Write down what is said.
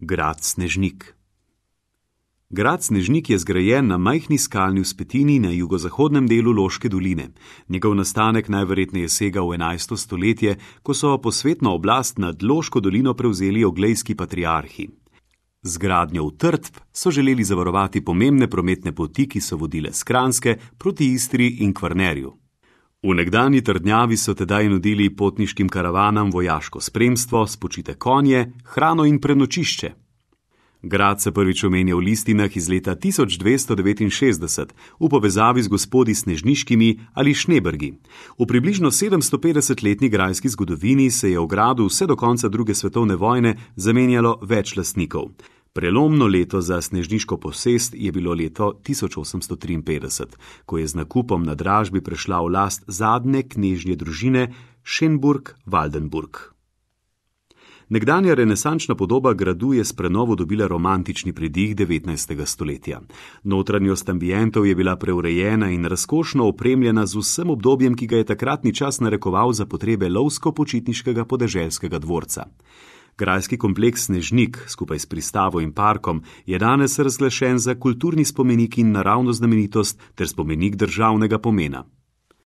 Grad Snežnik. Grad Snežnik je zgrajen na majhni skalni vzpetini na jugozahodnem delu Loške doline. Njegov nastanek najverjetneje sega v 11. stoletje, ko so posvetno oblast nad Loško dolino prevzeli oglejski patriarhi. Z gradnjo utrdb so želeli zavarovati pomembne prometne poti, ki so vodile s Kranjske proti Istri in Kvarnerju. V nekdanji trdnjavi so tedaj nudili potniškim karavanam vojaško spremstvo, spočite konje, hrano in prenočišče. Grad se prvič omenja v listinah iz leta 1269 v povezavi z gospodi Snežniškimi ali Šnebergi. V približno 750-letni grajski zgodovini se je v gradu vse do konca druge svetovne vojne zamenjalo več lastnikov. Prelomno leto za snežniško posest je bilo leto 1853, ko je z nakupom na dražbi prešla v last zadnje knežje družine Schenburg-Waldenburg. Nekdanja renesančna podoba gradu je s prenovo dobila romantični pridih 19. stoletja. Notranjost ambientov je bila preurejena in razkošno opremljena z vsem obdobjem, ki ga je takratni čas narekoval za potrebe lovsko-počitniškega podeželskega dvorca. Grajski kompleks Snežnik, skupaj s pristavo in parkom, je danes razglašen za kulturni spomenik in naravno znamenitost ter spomenik državnega pomena.